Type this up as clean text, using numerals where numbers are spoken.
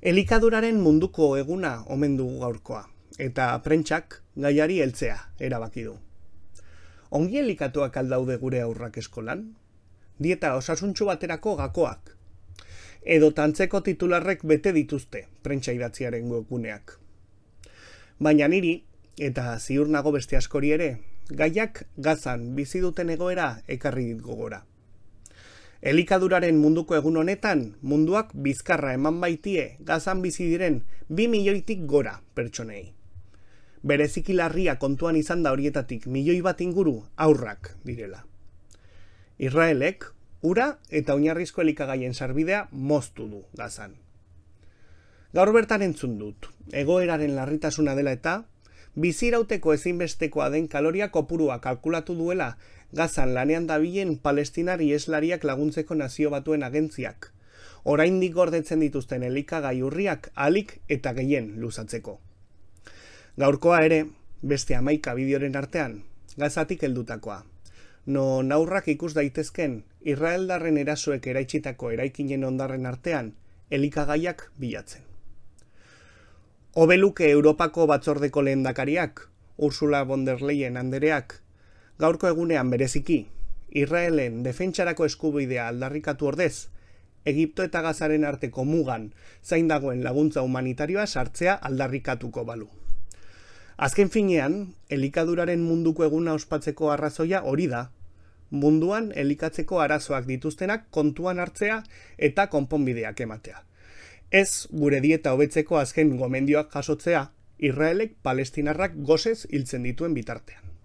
Elikaduraren munduko eguna omen dugu gaurkoa, eta prentsak gaiari heltzea erabaki du. Ongi elikatuak aldaude gure haurrak eskolan? Dieta osasuntsu baterako gakoak? Edo tantzeko titularrek bete dituzte prentsa idatziaren webguneak. Baina niri, eta ziur nago beste askori ere, gaiak Gazan bizi duten egoera ekarri dit gogora. Elikaduraren munduko egun honetan, munduak bizkarra eman baitie Gazan bizi diren 2 milioitik gora pertsonei. Bereziki larria kontuan izan da horietatik 1 milioi bat inguru haurrak direla. Israelek ura eta oinarrizko elikagaien sarbidea moztu du Gazan. Gaur bertan entzun dut, egoeraren larritasuna dela eta, bizirauteko ezinbestekoa den kaloria kopurua kalkulatu duela Gazan lanean dabilen palestinar iheslariak laguntzeko Nazio Batuen agentziak, oraindik gordetzen dituzten elikagai urriak ahalik eta gehien luzatzeko. Gaurkoa ere, beste 11 bideoren artean, Gazatik heldutakoa, non haurrak ikus daitezken israeldarren erasoek eraitsitako eraikinen hondarren artean elikagaiak bilatzen. Hobeluke Europako batzordeko lehendakariak, Ursula von der Leyen andereak, gaurko egunean bereziki, Israelen defentsarako eskubidea aldarrikatu ordez, Egipto eta Gazaren arteko mugan zain dagoen laguntza humanitarioa sartzea aldarrikatuko balu. Azken finean, elikaduraren munduko eguna ospatzeko arrazoia hori da, munduan elikatzeko arazoak dituztenak kontuan hartzea eta konponbideak ematea. Ez gure dieta hobetzeko azken gomendioak jasotzea, Israelek palestinarrak gosez hiltzen dituen bitartean.